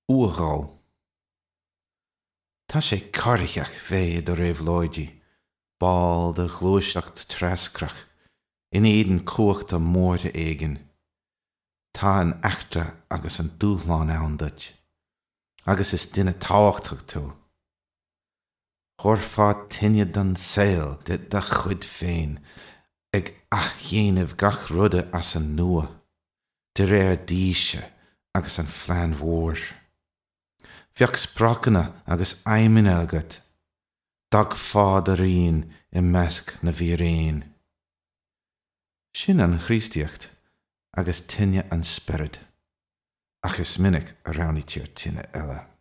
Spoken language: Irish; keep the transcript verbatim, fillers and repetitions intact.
Uathghó. Tá sé corraitheach bheith i do réabhlóidí, ball de ghluaiseacht treascrach, in éadan cumhachta móire éigin. Tá an eachtra agus an dúshlán ann duit. Agus is duine tábhachtach tú. Thabharfá tine don saol de do chuid féin, ag athdhéanamh gach ruda as an nua, de réir d'fhíse agus an phlean mhóir. Bheadh spriocanna agus aidhmeanna agat, d'fhágfá do rian i measc na bhfíréan. Sin an Chríostaíocht agus tine an Spioraid, ach is minic a roghnaítear tine eile.